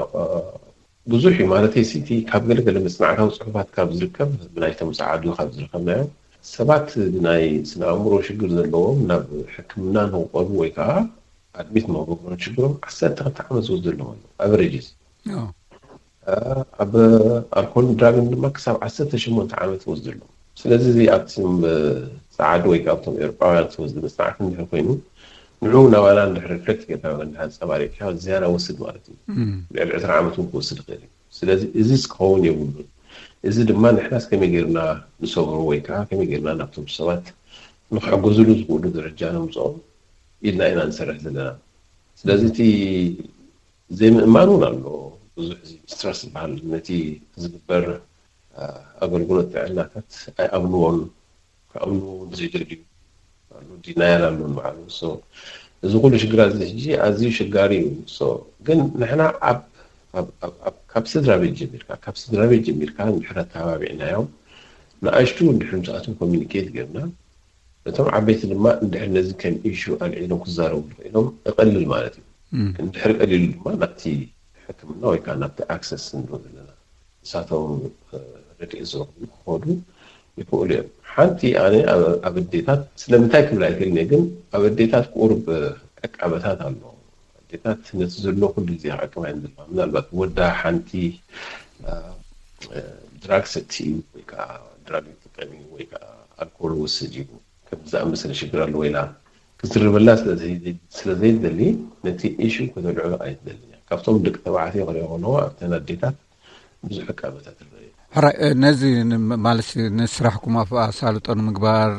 ብዙሕ እዩ ማለት ሲቲ ካብ ገለገለ መፅናዕታዊ ፅሑፋት ካብ ዝርከብ ብናይቶም ፀዓዱ ካብ ዝረከብናዮ ሰባት ብናይ ስነ ኣእምሮ ሽግር ዘለዎም ናብ ሕክምና ንክቀርቡ ወይ ከዓ ኣድሚት መገብሮን ሽግሮም ዓሰርተ ክልተ ዓመት ዝወስደሎም ኣሎ ኣቨሬጅስ ኣብ ኣልኮልን ድራግን ድማ ክሳብ ዓሰርተ ሸሞንተ ዓመት ይወስደሎም። ስለዚ እዚ ኣብቲ ፀዓዱ ወይ ኣብቶም ኤውሮጳውያን ዝተወስደ መፅናዕቲ እንድሕር ኮይኑ ንዑ ናባና እንድሕር ሪፍሌክት ጌርካ እንድሕር ኣንፀባሪቕካ ዝያዳ ወስድ ማለት እዩ። ልዕሊ ዕስራ ዓመት እውን ክወስድ ይኽእል እዩ። ስለዚ እዚ ክኸውን የብሉን። እዚ ድማ ንሕናስ ከመይ ጌርና ንሰግሮ ወይ ከዓ ከመይ ጌርና ናብቶም ሰባት ንክሕገዝሉ ዝኽእሉ ደረጃ ነምፅኦም ኢልና ኢና ንሰርሕ ዘለና። ስለዚ እቲ ዘይምእማን እውን ኣሎ። ብዙሕ እዚ ስትረስ ዝበሃል ነቲ ዝግበር ኣገልግሎት ጥዕናታት ኣይኣምንዎን፣ ክኣምንዎ እውን ዘይደልዩ ኣሎ፣ ዲናያል ኣሎ ንባዕሉ። እዚ ኩሉ ሽግራት እዚ ሕጂ ኣዝዩ ሽጋሪ እዩ። ግን ንሕና ካብ ስድራ ቤት ጀሚርካ ካብ ስድራ ቤት ጀሚርካ እንድሕር ኣተባቢዕናዮም፣ ንኣሽቱ እንድሕር ምስኣቶም ኮሚኒኬት ጌርና፣ እቶም ዓበይቲ ድማ እንድሕር ነዚ ከም ኢሹ ኣልዒሎም ክዛረቡ ኢሎም እቐልል ማለት እዩ። እንድሕር ቀሊሉ ድማ ናብቲ ሕክምና ወይ ከዓ ናብቲ ኣክሰስ ንብሎ ዘለና ንሳቶም ረድኤት ዝረኽቡ ክኸዱ ይኽእሉ እዮም። ሓንቲ ኣነ ኣብ ኣዴታት ስለምንታይ ክብል ኣይክእልን እየ፣ ግን ኣብ ኣዴታት ቁሩብ ዕቃበታት ኣሎ። ኣዴታት ነቲ ዘሎ ኩሉ ግዜ ክዕቅባ እየን ዘለዋ። ምናልባት ወዳ ሓንቲ ድራግ ሰቲ እዩ ወይ ከዓ ድራግ ይጥቀም እዩ ወይ ከዓ ኣልኮል ወስድ እዩ ከም ዝኣመሰለ ሽግር ኣለዎ ኢላ ክትዝርበላ ስለ ዘይደሊ ነቲ ኢሹ ከተልዕሎ ኣይትደልን እያ። ካብቶም ደቂ ተባዕትዮ ክሪኦ ከለዎ ኣብተን ኣዴታት ብዙሕ ዕቃበታት ይረአ። ሕራይ ነዚ ማለት ንስራሕኩም ኣሳልጦ ንምግባር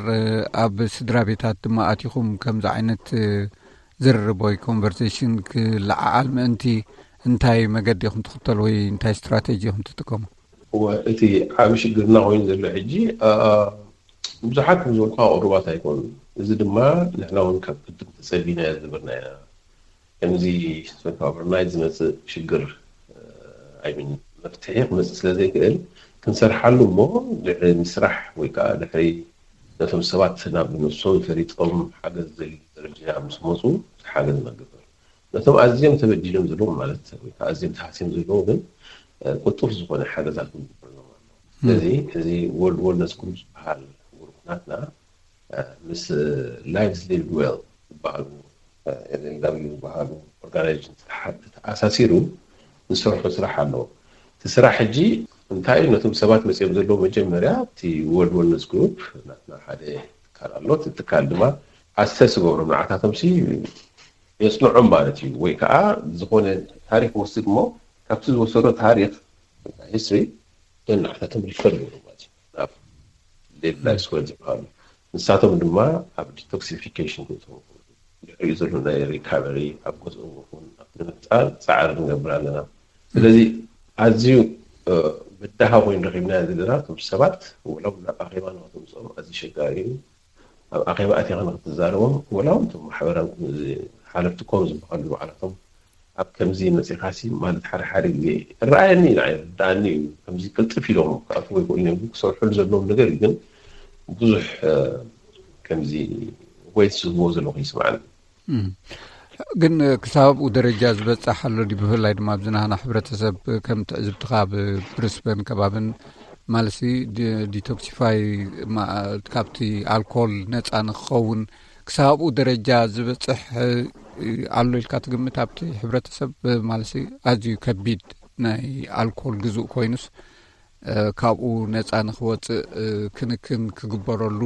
ኣብ ስድራ ቤታት ድማ ኣቲኹም ከምዚ ዓይነት ዝርርብ ወይ ኮንቨርሴሽን ክለዓዓል ምእንቲ እንታይ መገዲ ኢኹም ትኽተሉ ወይ እንታይ ስትራቴጂ ኢኹም ትጥቀሙ? እቲ ዓብ ሽግርና ኮይኑ ዘሎ ሕጂ ብዙሓት ከም ዝበልካ ቅሩባት ኣይኮኑ። እዚ ድማ ንሕና እውን ካብ ቅድም ተፀቢና ዝነበርና ኢና። ከምዚ ኦቨርናይት ዝመፅእ ሽግር ኣይሚን መፍትሒ ክመፅእ ስለ ዘይክእል ክንሰርሓሉ እሞ ድሕሪ ምስራሕ ወይ ከዓ ድሕሪ ነቶም ሰባት ናብ ነብሶም ፈሊጦም ሓገዝ ዘድልዩ ደረጃ ምስ መፁ ሓገዝ ነግበር። ነቶም ኣዝዮም ተበዲሎም ዘለዉ ማለት ወይ ከዓ ኣዝዮም ተሃስዮም ዘለዉ ግን ቁጡፍ ዝኾነ ሓገዛት ክንግበረሎም ኣሎ። ስለዚ እዚ ወርልድ ወልነስ ግሩፕ ዝበሃል ግሩፕ ናትና ምስ ላይቭስ ሊቭድ ዌል ዝበሃሉ ኤልኤልዳብሊው ዝበሃሉ ኦርጋናይዜሽን ተሓ- ተኣሳሲሩ ዝሰርሖ ስራሕ ኣለዎ። እቲ ስራሕ ሕጂ እንታይ እዩ? ነቶም ሰባት መፅኦም ዘለዉ መጀመርያ እቲ ወርልድ ወልነስ ግሩፕ ናትና ሓደ ትካል ኣሎ። እቲ ትካል ድማ ኣሰስ ዝገብሮም ንዓታቶም ሲ የፅንዖም ማለት እዩ። ወይ ከዓ ዝኾነ ታሪክ ወስድ እሞ ካብቲ ዝወሰዶ ታሪክ ሂስትሪ ንዓታቶም ሪፈር ዝገብሩ ማለት እዩ ናብ ሌቭል ላይፍ ስኮር ዝበሃሉ። ንሳቶም ድማ ኣብ ዲቶክሲፊኬሽን ክእትዉ ይኽእሉ። ድሕሪኡ ዘሎ ናይ ሪካቨሪ ኣብ ገዝኦም ይኹን ኣብ ንምፍፃር ፃዕሪ ንገብር ኣለና። ስለዚ ኣዝዩ ብድሃ ኮይኑ ረኺብናዮ ዘለና እቶም ሰባት ወላ እውን ናብ ኣኼባ ንክተምፅኦም ኣዝዩ ኣሸጋሪ እዩ። ኣብ ኣኼባ ኣቲኻ ንክትዛረቦም ወላ እውን እቶም ማሕበራዊ ሓለፍቲ ኮም ዝበሃሉ ባዕላቶም ኣብ ከምዚ መፂኻሲ ማለት ሓደ ሓደ ግዜ ይረኣየኒ እዩ፣ ንዓይ ይርድኣኒ እዩ። ከምዚ ቅልጥፍ ኢሎም ክኣትዎ ይኽእሉ እዮም፣ ክሰርሑሉ ዘለዎም ነገር እዩ። ግን ብዙሕ ከምዚ ወይት ዝህብዎ ዘለኹ ይስምዓኒ። ግን ክሳብ ኣብኡ ደረጃ ዝበፅሕ ኣሎ ድዩ? ብፍላይ ድማ ኣብዚ ናህና ሕብረተሰብ ከም ትዕዝብትኻ ኣብ ብሪስበን ከባብን ማለሲ ዲቶክሲፋይ ካብቲ ኣልኮል ነፃ ንክኸውን ክሳብ ኣብኡ ደረጃ ዝበፅሕ ኣሎ ኢልካ ትግምት? ኣብቲ ሕብረተሰብ ማለሲ ኣዝዩ ከቢድ ናይ ኣልኮል ግዙእ ኮይኑስ ካብኡ ነፃ ንክወፅእ ክንክን ክግበረሉ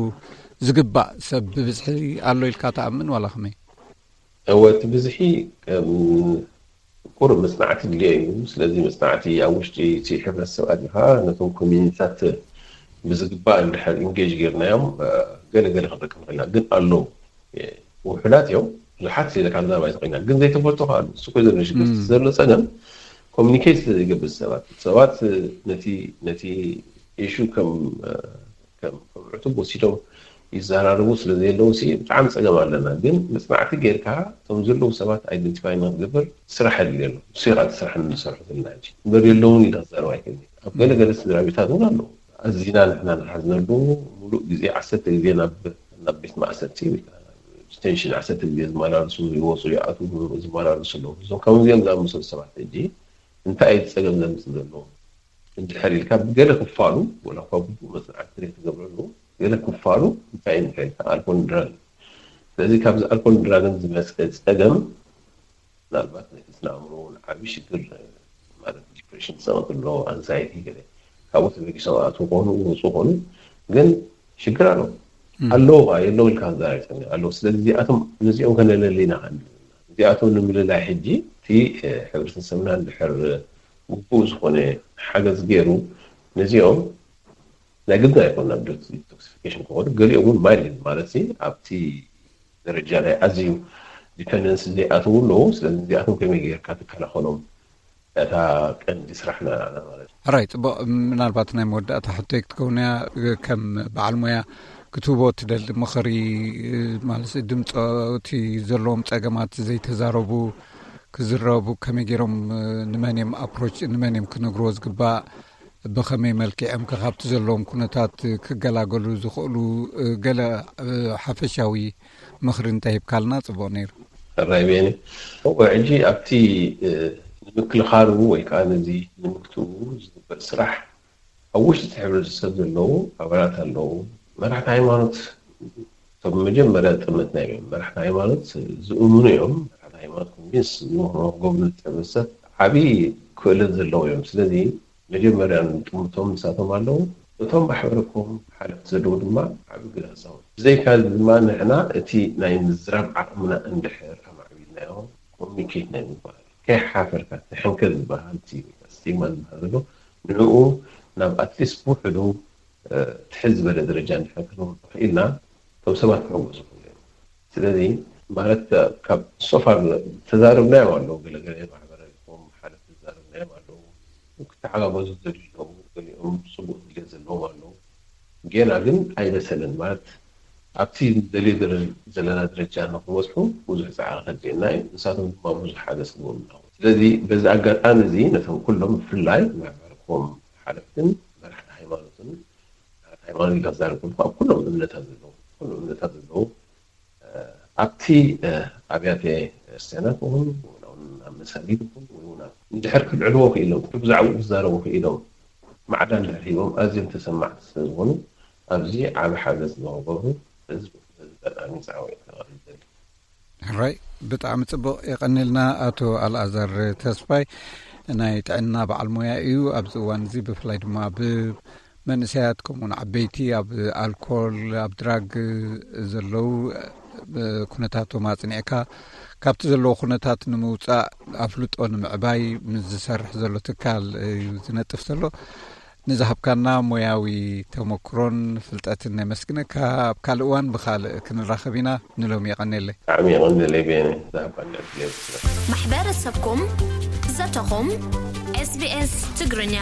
ዝግባእ ሰብ ብብዝሒ ኣሎ ኢልካ ትኣምን ዋላ ከመይ? እወ፣ እቲ ብዝሒ ቁሩብ መፅናዕቲ ድልዮ እዩ። ስለዚ መፅናዕቲ ኣብ ውሽጢ እቲ ሕብረተሰብ ኣቲኻ ነቶም ኮሚኒቲታት ብዝግባእ እንድሕር ኢንጌጅ ጌርናዮም ገለ ገለ ክንረክብ ንኽእል ኢና። ግን ኣለዉ ውሑዳት እዮም፣ ብዙሓት ኢለ ካብ ዛባ ኣይትኽእልና። ግን ዘይተፈልጦ ከዓ ኣሎ። እሱ ኮ ዘሎ ሽግር ዘሎ ፀገም ኮሚኒኬት ስለ ዘይገብር ሰባት ሰባት ነቲ ነቲ ኢሹ ከም ከም ዕቱብ ወሲዶም ይዘራረቡ ስለ ዘየለዉ ሲ ብጣዕሚ ፀገም ኣለና። ግን መፅናዕቲ ጌርካ እቶም ዘለዉ ሰባት ኣይደንቲፋይ ንክትገብር ስራሕ የድልዮ ኣሎ። ንሱ ኢኻ እቲ ስራሕ ንሰርሑ ዘለና ሕጂ እምበር የለውን ኢለ ክዛረብ ኣይክእልን። ኣብ ገለ ገለ ስድራ ቤታት እውን ኣለዉ። ኣዚና ንሕና ንሓዝነሉ ሙሉእ ግዜ ዓሰርተ ግዜ ናብ ናብ ቤት ማእሰርቲ ወይ ከዓ ዲቴንሽን ዓሰርተ ግዜ ዝመላለሱ ይወፁ ይኣትዉ ዝመላለሱ ኣለዉ። እዞም ከምዚኦም ዝኣመሰሉ ሰባት ሕጂ እንታይ እዩ እቲ ፀገም ዘምፅእ ዘሎ? እንድሕር ኢልካ ብገለ ክፋሉ ወላ እኳ ግቡእ መፅናዕቲ ዘይተገብረሉ ገለ ክፋሉ እንታይ እዩ እንድሕር ኢልካ ኣልኮል ድራግ እዩ። ስለዚ ካብዚ ኣልኮል ድራግን ዝመፀ ፀገም ምናልባት ነቲ ስነ ኣእምሮ እውን ዓብዪ ሽግር ማለት ዲፕሬሽን ክፀመጥ ኣሎ፣ ኣንዛይቲ ገለ ካብኡ ተበጊሶም ኣትዉ ከሆኑ ይወፁ ከሆኑ ግን ሽግር ኣሎ ኣለዉ ባ የለዉ ኢልካ ክዛረብ ይፀኒ ኣለዉ። ስለዚ እዚኣቶም ነዚኦም ከነለሊ ኢና ከንብል እዚኣቶም ንምልላይ ሕጂ እቲ ሕብረተሰብና እንድሕር ግቡእ ዝኾነ ሓገዝ ገይሩ ነዚኦም ናይ ግድን ኣይኮን ናብ ዲቶክሲፊኬሽን ክኸዱ፣ ገሊኦም እውን ማይልድ ማለት ሲ ኣብቲ ደረጃ ናይ ኣዝዩ ዲፐንደንስ ዘይኣተው ኣለዉ። ስለዚ እዚኣቶም ከመይ ጌርካ ትከላኸሎም? እታ ቀንዲ ስራሕና ማለት እዩ። ሕራይ፣ ጽቡቕ። ምናልባት ናይ መወዳእታ ሕቶይ ክትከውን እያ። ከም በዓል ሞያ ክትህቦ ትደሊ ምኽሪ፣ ማለት ድምፆ እቲ ዘለዎም ጸገማት ዘይተዛረቡ ክዝረቡ ከመይ ገይሮም፣ ንመን እዮም ኣፕሮች፣ ንመን እዮም ክነግርዎ ዝግባእ፣ ብኸመይ መልክዕ እዮም ከ ካብቲ ዘለዎም ኩነታት ክገላገሉ ዝኽእሉ፣ ገለ ሓፈሻዊ ምኽሪ እንተሂብካልና ጽቡቕ ነይሩ። ራይቤኒ እወ፣ ሕጂ ኣብቲ ንምክልኻሉ ወይ ከዓ ነዚ ንምግትኡ ዝግበር ስራሕ ኣብ ውሽጢ እቲ ሕብረተሰብ ዘለዉ ኣባላት ኣለዉ። መራሕቲ ሃይማኖት እቶም መጀመርያ ጥምትና እዮም። መራሕቲ ሃይማኖት ዝእምኑ እዮም። መራሕቲ ሃይማኖት ኮንቪንስ ንክገብሩ ዝጥዕም ሰብ ዓብዪ ክእለት ዘለዎ እዮም። ስለዚ መጀመርያ ንጥምቶም ንሳቶም ኣለዉ። እቶም ማሕበረኮም ሓለፍቲ ዘለዉ ድማ ዓብዪ ግደ ክፃወቱ። ብዘይካ እዚ ድማ ንሕና እቲ ናይ ምዝራብ ዓቕምና እንድሕር ኣማዕቢልናዮ ኮሚኒኬት ናይ ምግባር ከይሓፈርካ ተሕንከ ዝበሃል እቲ ስቲግማ ዝበሃል ዘሎ ንዕኡ ናብ ኣትሊስት ብውሕዱ ትሕት ዝበለ ደረጃ እንድሕር ክነውርዶ ክኢልና እቶም ሰባት ክሕጎሱ ይኽእሉ እዮም። ስለዚ ማለት ካብ ሶፋር ተዛረብናዮም ኣለዉ፣ ገለገለ ማሕበረ ኮም ሓለፍቲ ተዛረብናዮም ኣለዉ፣ ክተሓጋገዙ ዝደልዩ ኣለዉ፣ ገሊኦም ፅቡቅ ድልየት ዘለዎም ኣለዉ። ጌና ግን ኣይበሰለን ማለት ኣብቲ ደልዮ ዘለና ደረጃ ንክንበፅሑ ብዙሕ ፃዕሪ ከድልየና እዩ። ንሳቶም ድማ ብዙሕ ሓገዝ ክገብሩና ኣለዎም። ስለዚ በዚ ኣጋጣሚ እዚ ነቶም ኩሎም ብፍላይ ማሕበረ ኮም ሓለፍትን መራሕቲ ሃይማኖትን፣ መራሕቲ ሃይማኖት ኢልካ ዝዛረብ ከለኹ ኣብ ኩሎም እምነታት ዘለዉ፣ ኩሎም እምነታት ዘለዉ ኣብቲ ኣብያተ ክርስቲያናት እውን ኣብ መሳጊድ እውን ወይ እውን እንድሕር ክልዕልዎ ክኢሎም ብዛዕባኡ ክዛረቡ ክኢሎም ማዕዳ እንድሕር ሂቦም ኣዝዮም ተሰማዕቲ ስለዝኾኑ ኣብዚ ዓቢ ሓገዝ ንኽገብሩ ህዝቢ በዚ ኣጋጣሚ ፃዕወ ከቕርብ ይደሊ። ሕራይ፣ ብጣዕሚ ጽቡቕ የቐንልና ኣቶ ኣልኣዛር ተስፋይ። ናይ ጥዕና በዓል ሞያ እዩ። ኣብዚ እዋን እዚ ብፍላይ ድማ ብ መንእሰያት ከምኡውን ዓበይቲ ኣብ ኣልኮል ኣብ ድራግ ዘለዉ ኩነታቶም ኣጽኒዕካ ካብቲ ዘለዎ ኩነታት ንምውጻእ ኣፍልጦ ንምዕባይ ምስ ዝሰርሕ ዘሎ ትካል እዩ ዝነጥፍ ዘሎ። ንዝሃብካና ሞያዊ ተመክሮን ፍልጠትን ነመስግነካ። ኣብ ካልእ እዋን ብኻልእ ክንራኸብ ኢና። ንሎሚ የቐንየለይ። ብጣዕሚ የቐንየለይ ቤነ ዝሃብካኒ ዕድል። ማሕበረሰብኩም ዘተኹም። SBS ትግርኛ።